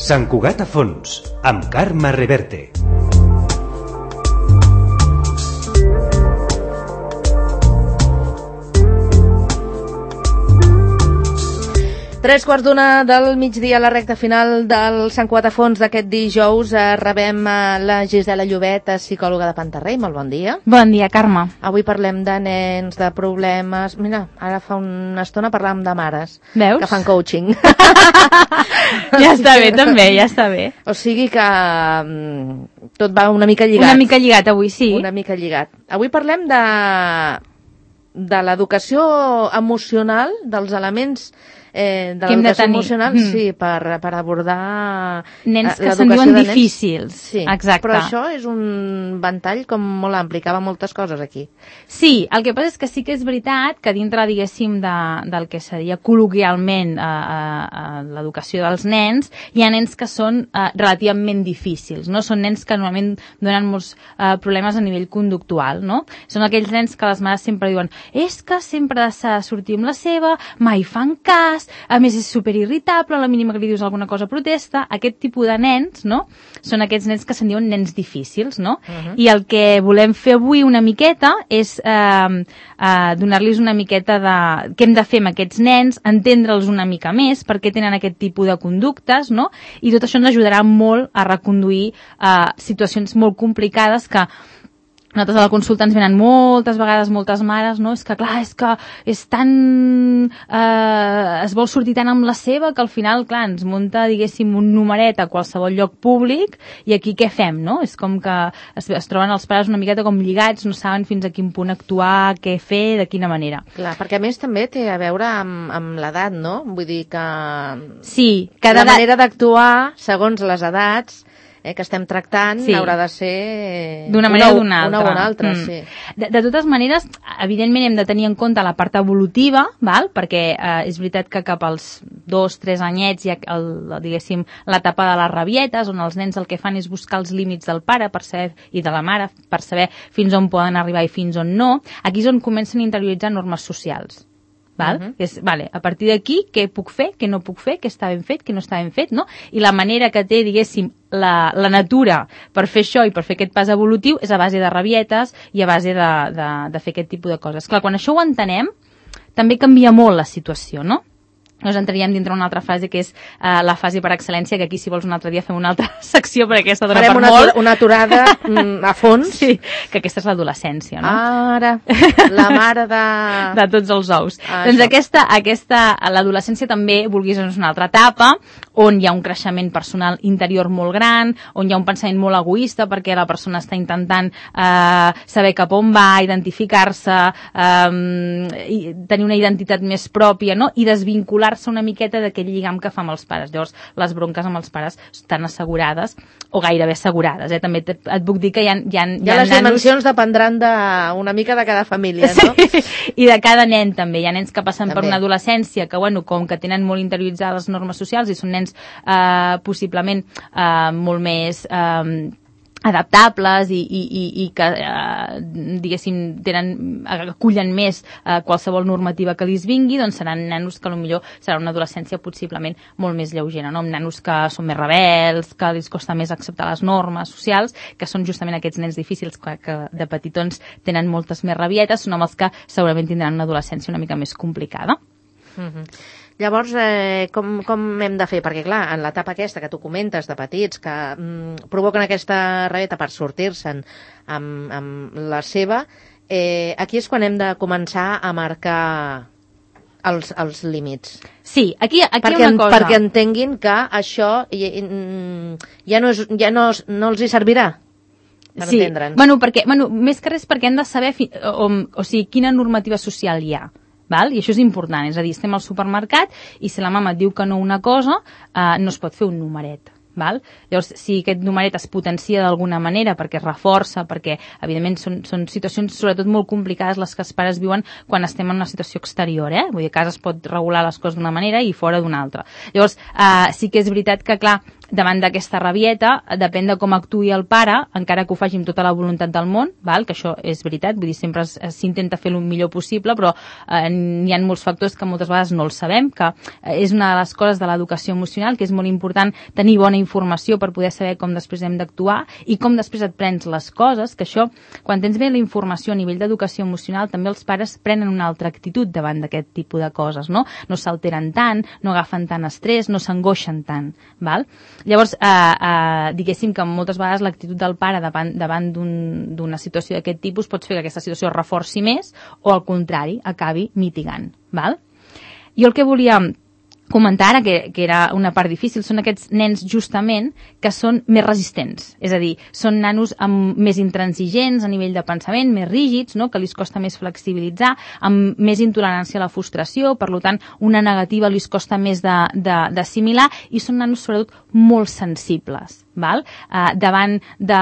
Sant Cugat a fons, amb Carme Reverte. Tres quarts d'una del migdia, a la recta final del Sant Cugat a fons d'aquest dijous. Rebem la Gisela Llobet, psicòloga de Pantarrey. Molt bon dia. Bon dia, Carme. Avui parlem de nens, de problemes... Mira, ara fa una estona parlàvem de mares. Veus? Que fan coaching. Ja està bé, també, ja està bé. O sigui que tot va una mica lligat. Una mica lligat avui, sí. Una mica lligat. Avui parlem de l'educació emocional, dels elements de l'educació emocional, sí, per abordar nens que se'n diuen difícils. Sí, exacte. Però això és un ventall com molt ampli, que va moltes coses aquí. Sí, el que passa és que sí que és veritat que dintre, diguéssim, del que seria col·loquialment l'educació dels nens, hi ha nens que són relativament difícils, no? Són nens que normalment donen molts problemes a nivell conductual, no? Són aquells nens que les mares sempre diuen és que sempre s'ha de sortir amb la seva, mai fan cas, a més és superirritable, a la mínima que li dius alguna cosa protesta. Aquest tipus de nens, no? Són aquests nens que se'n diuen nens difícils, no? I el que volem fer avui una miqueta és donar-los una miqueta de què hem de fer amb aquests nens, entendre'ls una mica més, per què tenen aquest tipus de conductes, no? I tot això ens ajudarà molt a reconduir situacions molt complicades que nosaltres a la consulta ens venen moltes vegades moltes mares, no? És que clar, és tan... es vol sortir tant amb la seva que al final, clar, ens munta, diguéssim, un numeret a qualsevol lloc públic i aquí què fem, no? És com que es troben els pares una miqueta com lligats, no saben fins a quin punt actuar, què fer, de quina manera. Clar, perquè a més també té a veure amb l'edat, no? Vull dir que... Sí, cada manera d'actuar, segons les edats, que estem tractant, sí, haurà de ser d'una manera o d'una altra. Una o una altra, sí. De totes maneres, evidentment hem de tenir en compte la part evolutiva, val? Perquè és veritat que cap als 2-3 anyets hi ha, diguéssim, l'etapa de les rabietes, on els nens el que fan és buscar els límits del pare per saber, i de la mare per saber fins on poden arribar i fins on no. Aquí és on comencen a interioritzar normes socials. Val? Vale, a partir d'aquí, què puc fer, què no puc fer, què està ben fet, què no està ben fet, no? I la manera que té, diguéssim, la natura per fer això i per fer aquest pas evolutiu és a base de rabietes i a base de fer aquest tipus de coses. Clar, quan això ho entenem, també canvia molt la situació, no? Nos entraríem dintre una altra fase que és la fase per excel·lència, que aquí si vols un altre dia fem una altra secció perquè aquesta dona per molt. Farem una aturada a fons. Sí, que aquesta és l'adolescència, no? Ara, la mare de tots els ous. Doncs aquesta l'adolescència també, vulguis, és una altra etapa on hi ha un creixement personal interior molt gran, on hi ha un pensament molt egoista perquè la persona està intentant saber cap on va, identificar-se, tenir una identitat més pròpia, no? I desvincular-se una miqueta d'aquell lligam que fa amb els pares. Llavors, les bronques amb els pares estan assegurades, o gairebé assegurades. També et puc dir que hi ha les dimensions dependran una mica de cada família, no? Sí, i de cada nen també. Hi ha nens que passen per una adolescència que, bueno, com que tenen molt interioritzades les normes socials i són nens possiblement molt més adaptables i que, diguéssim, acullen més qualsevol normativa que li vingui, doncs seran nanos que potser serà una adolescència possiblement molt més lleugera, no? Amb nanos que són més rebels, que els costa més acceptar les normes socials, que són justament aquests nens difícils que de petitons tenen moltes més rabietes, són amb els que segurament tindran una adolescència una mica més complicada. Llavors, com hem de fer? Perquè, clar, en l'etapa aquesta que tu comentes de petits, que provoquen aquesta rabieta per sortir-se'n amb la seva, aquí és quan hem de començar a marcar els límits. Sí, aquí hi ha una cosa. Perquè entenguin que això ja no els hi servirà. Sí, més que res perquè hem de saber quina normativa social hi ha. Val? I això és important, és a dir, estem al supermercat i si la mama et diu que no una cosa, no es pot fer un numeret. Val? Llavors, si aquest numeret es potencia d'alguna manera perquè es reforça, perquè evidentment són situacions sobretot molt complicades les que els pares viuen quan estem en una situació exterior, vull dir, a casa es pot regular les coses d'una manera i fora d'una altra. Llavors, sí que és veritat que, clar, davant d'aquesta rabieta, depèn de com actuï el pare, encara que ho faci amb tota la voluntat del món, val? Que això és veritat, vull dir, sempre s'intenta fer el millor possible, però hi ha molts factors que moltes vegades no els sabem, que és una de les coses de l'educació emocional, que és molt important tenir bona informació per poder saber com després hem d'actuar i com després et prens les coses, que això, quan tens bé la informació a nivell d'educació emocional, també els pares prenen una altra actitud davant d'aquest tipus de coses, no? No s'alteren tant, no agafen tant estrès, no s'angoixen tant, val? Llavors, diguéssim que moltes vegades l'actitud del pare davant d'una situació d'aquest tipus pot fer que aquesta situació es reforci més o, al contrari, acabi mitigant, val? Jo el que volia comentar ara, que era una part difícil, són aquests nens justament que són més resistents, és a dir, són nanos més intransigents a nivell de pensament, més rígids, no? Que li costa més flexibilitzar, amb més intolerància a la frustració, per tant, una negativa li costa més d'assimilar, i són nanos sobretot molt sensibles. Val? Davant de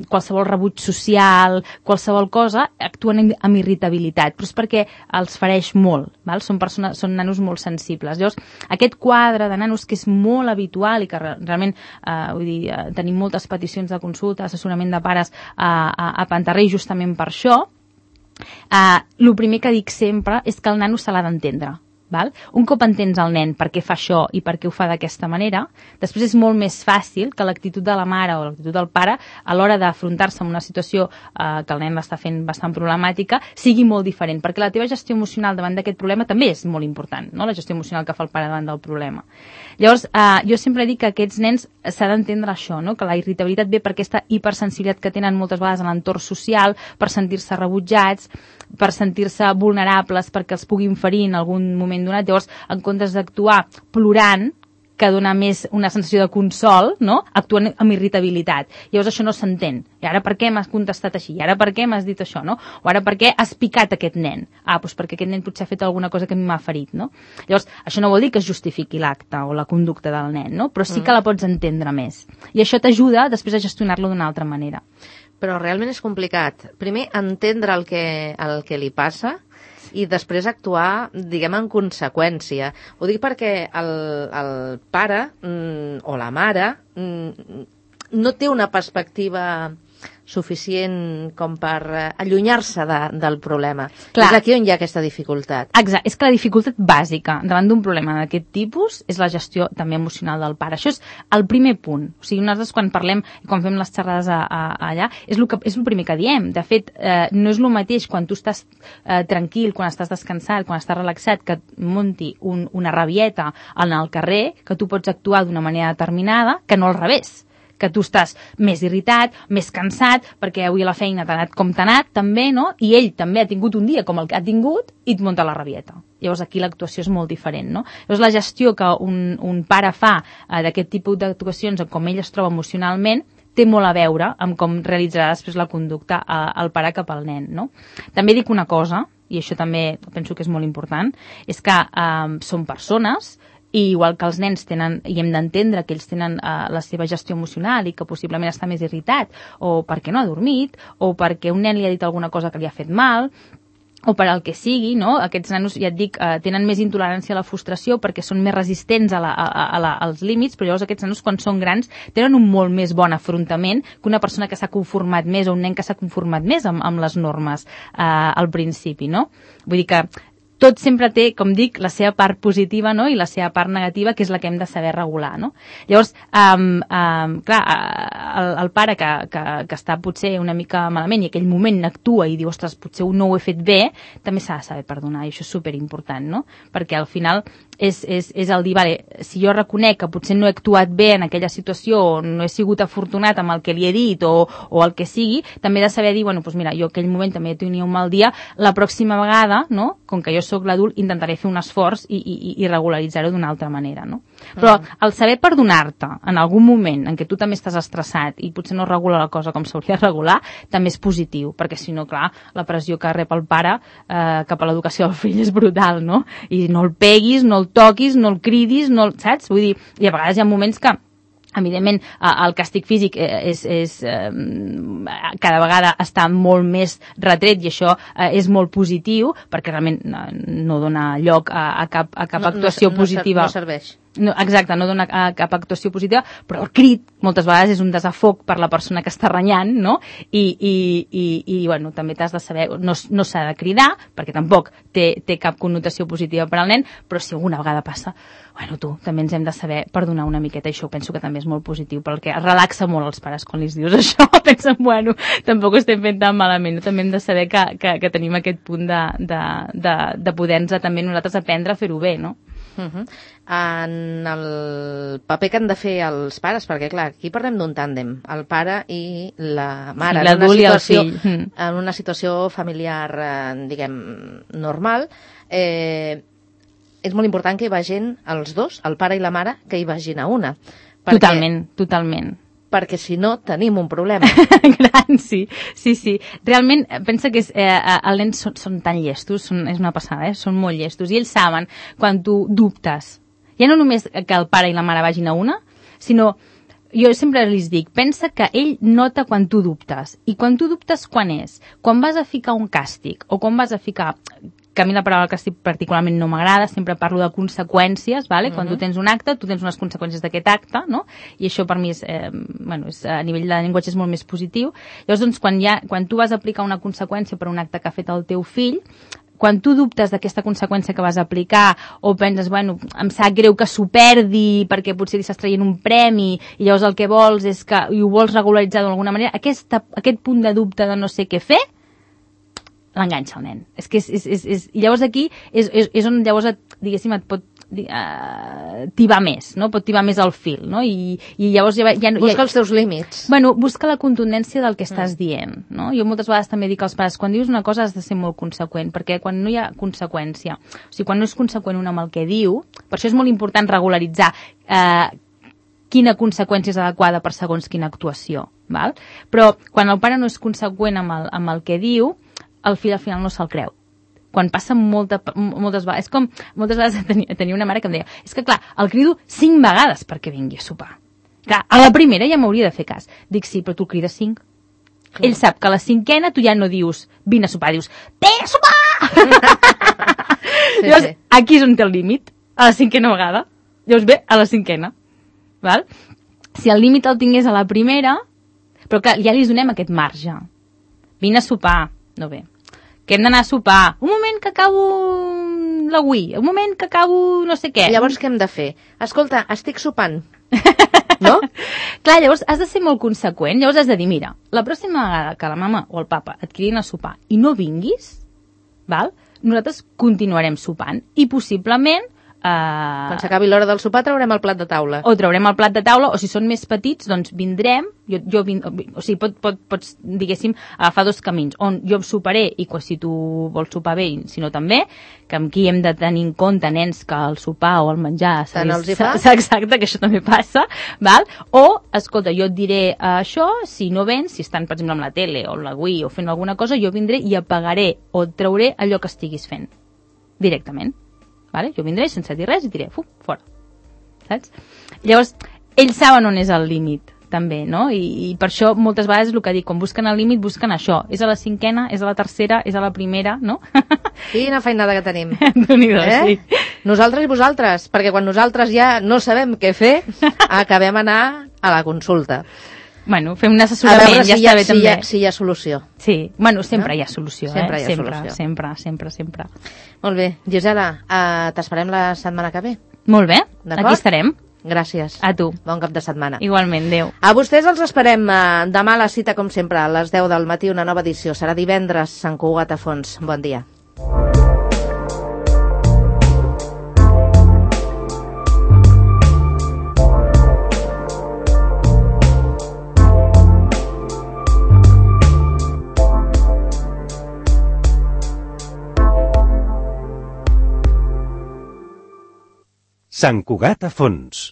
qualsevol rebuig social, qualsevol cosa, actuen amb irritabilitat, però és perquè els fereix molt, val? Són nanos molt sensibles. Llavors, aquest quadre de nanos que és molt habitual i que realment tenim moltes peticions de consulta, assessorament de pares a Pantarrey justament per això, el primer que dic sempre és que el nano se l'ha d'entendre. Val? Un cop entens el nen per què fa això i per què ho fa d'aquesta manera, després és molt més fàcil que l'actitud de la mare o l'actitud del pare a l'hora d'afrontar-se amb una situació que el nen l'està fent bastant problemàtica sigui molt diferent, perquè la teva gestió emocional davant d'aquest problema també és molt important, no? La gestió emocional que fa el pare davant del problema. Llavors, jo sempre dic que aquests nens s'ha d'entendre això, no? Que la irritabilitat ve per aquesta hipersensibilitat que tenen moltes vegades en l'entorn social, per sentir-se rebutjats, per sentir-se vulnerables perquè els puguin ferir en algun moment donat. Llavors, en comptes d'actuar plorant, que dona més una sensació de consol, no? Actuen amb irritabilitat. Llavors això no s'entén. I ara per què m'has contestat així? I ara per què m'has dit això, no? O ara per què has picat aquest nen? Doncs perquè aquest nen potser ha fet alguna cosa que a mi m'ha ferit, no? Llavors, això no vol dir que es justifiqui l'acte o la conducta del nen, no? Però sí que la pots entendre més. I això t'ajuda després a gestionar-lo d'una altra manera. Però realment és complicat. Primer, entendre el que li passa i després actuar, diguem, en conseqüència. Ho dic perquè el pare o la mare no té una perspectiva suficient com per allunyar-se del problema. Clar. És aquí on hi ha aquesta dificultat. Exacte, és que la dificultat bàsica davant d'un problema d'aquest tipus és la gestió també emocional del pare. Això és el primer punt. O sigui, nosaltres quan parlem, quan fem les xerrades allà, és el primer que diem. De fet, no és el mateix quan tu estàs tranquil, quan estàs descansat, quan estàs relaxat, que et munti una rabieta en el carrer, que tu pots actuar d'una manera determinada, que no al revés, que tu estàs més irritat, més cansat, perquè avui a la feina t'ha anat com t'ha anat, també, no? I ell també ha tingut un dia com el que ha tingut i et munta la rabieta. Llavors aquí l'actuació és molt diferent, no? Llavors la gestió que un pare fa d'aquest tipus d'actuacions, com ell es troba emocionalment, té molt a veure amb com realitzarà després la conducta el pare cap al nen, no? També dic una cosa, i això també penso que és molt important, és que són persones, i igual que els nens tenen, i hem d'entendre que ells tenen la seva gestió emocional i que possiblement està més irritat, o perquè no ha dormit, o perquè un nen li ha dit alguna cosa que li ha fet mal, o per al que sigui, no? Aquests nanos, ja et dic, tenen més intolerància a la frustració perquè són més resistents als límits, però llavors aquests nanos, quan són grans, tenen un molt més bon afrontament que una persona que s'ha conformat més o un nen que s'ha conformat més amb les normes al principi, no? Vull dir que tot sempre té, com dic, la seva part positiva, no? I la seva part negativa, que és la que hem de saber regular, no? Llavors, clar, el pare que està potser una mica malament i aquell moment actua i diu, ostres, potser no ho he fet bé, també s'ha de saber perdonar, i això és superimportant, no? Perquè al final és el dir, vale, si jo reconec que potser no he actuat bé en aquella situació o no he sigut afortunat amb el que li he dit o el que sigui, també he de saber dir, bueno, doncs mira, jo aquell moment també tenia un mal dia, la pròxima vegada, no? Com que jo soc l'adult, intentaré fer un esforç i regularitzar-ho d'una altra manera, no? Però el saber perdonar-te en algun moment en què tu també estàs estressat i potser no regula la cosa com s'hauria de regular, també és positiu, perquè si no, clar, la pressió que rep el pare cap a l'educació del fill és brutal, no? I no el peguis, no el toquis, no el cridis, saps? Vull dir, i a vegades hi ha moments que Evidentment, el càstig físic cada vegada està molt més retret i això és molt positiu perquè realment no dona lloc a cap actuació positiva. No serveix. No, exacte, no dona cap actuació positiva, però el crit moltes vegades és un desafoc per la persona que està renyant, no? I bueno, també t'has de saber, no s'ha de cridar, perquè tampoc té cap connotació positiva per al nen, però si alguna vegada passa, bueno, també ens hem de saber perdonar una miqueta, i això penso que també és molt positiu, perquè relaxa molt els pares quan li dius això, pensen, bueno, tampoc ho estem fent tan malament, no? També hem de saber que tenim aquest punt de poder-nos també nosaltres aprendre a fer-ho bé, no? En el paper que han de fer els pares, perquè clar, aquí parlem d'un tàndem, el pare i la mare, en una situació familiar, diguem, normal, és molt important que hi vagin els dos, el pare i la mare, que hi vagin a una. Totalment. Perquè si no tenim un problema. Gran, sí. Realment, pensa que els nens són tan llestos, és una passada, són molt llestos, i ells saben quan tu dubtes. Ja no només que el pare i la mare vagin a una, sinó, jo sempre els dic, pensa que ell nota quan tu dubtes. I quan tu dubtes, quan és? Quan vas a ficar un càstig, o quan vas a ficar... que a mi la paraula càstig particularment no m'agrada, sempre parlo de conseqüències, ¿vale? Quan tu tens un acte, tu tens unes conseqüències d'aquest acte, no? I això per mi és, a nivell de llenguatge és molt més positiu. Llavors, doncs, quan tu vas a aplicar una conseqüència per un acte que ha fet el teu fill, quan tu dubtes d'aquesta conseqüència que vas aplicar o penses, bueno, em sap greu que s'ho perdi perquè potser li estàs traient un premi i llavors el que vols és que i ho vols regularitzar d'alguna manera, aquest punt de dubte de no sé què fer, l'enganxa el nen. És que i llavors aquí és on llavors, diguéssim, et pot tibar més, no? Pot tibar més el fil, no? I llavors busca els teus límits. Bueno, busca la contundència del que estàs dient, no? Jo moltes vegades també dic als pares, quan dius una cosa has de ser molt conseqüent, perquè quan no hi ha conseqüència, o sigui, quan no és conseqüent un amb el que diu, per això és molt important regularitzar quina conseqüència és adequada per segons quina actuació, val? Però quan el pare no és conseqüent amb el que diu, el fill al final no se'l creu. Quan passa moltes vegades, és com moltes vegades tenia una mare que em deia, és que clar, el crido 5 vegades perquè vingui a sopar. Clar, a la primera ja m'hauria de fer cas. Dic, sí, però tu el crides 5. Clar. Ell sap que a la 5a tu ja no dius, vine a sopar, dius, vine a sopar! Llavors, aquí és on té el límit, a la 5a vegada. Llavors ve a la 5a. Val? Si el límit el tingués a la primera, però clar, ja li donem aquest marge. Vine a sopar. No bé. Que hem d'anar a sopar. Un moment que acabo la Wii. Un moment que acabo no sé què. Llavors què hem de fer? Escolta, estic sopant. No? Clar, llavors has de ser molt conseqüent. Llavors has de dir, mira, la pròxima vegada que la mama o el papa et cridin a sopar i no vinguis, val? Nosaltres continuarem sopant i possiblement quan s'acabi l'hora del sopar traurem el plat de taula. O traurem el plat de taula, o si són més petits, doncs vindrem, o sigui, pots, diguéssim, agafar 2 camins, on jo soparé i si tu vols sopar bé, si no també, que amb qui hem de tenir en compte nens que el sopar o el menjar exacte, que això també passa, val? O, escolta, jo et diré això, si no vens, si estan, per exemple, amb la tele o la Wii o fent alguna cosa, jo vindré i apagaré o et trauré allò que estiguis fent, directament. Vale? Jo vindré sense dir res i diré, fora. Saps? Llavors, ells saben on és el límit, també, no? I per això moltes vegades el que dic, quan busquen el límit, busquen això. És a la 5a, és a la 3a, és a la primera, no? Quina feinada que tenim. Sí. Nosaltres i vosaltres, perquè quan nosaltres ja no sabem què fer, acabem anar a la consulta. Bueno, fem un assessorament, ja està bé també. Si hi ha solució. Sí, bueno, sempre hi ha solució. Sempre hi ha solució. Sempre. Molt bé. Gisela, t'esperem la setmana que ve. Molt bé, aquí estarem. Gràcies. A tu. Bon cap de setmana. Igualment, adéu. A vostès els esperem demà a la cita, com sempre, a les 10 del matí, una nova edició. Serà divendres, Sant Cugat a fons. Bon dia. Sant Cugat a fons.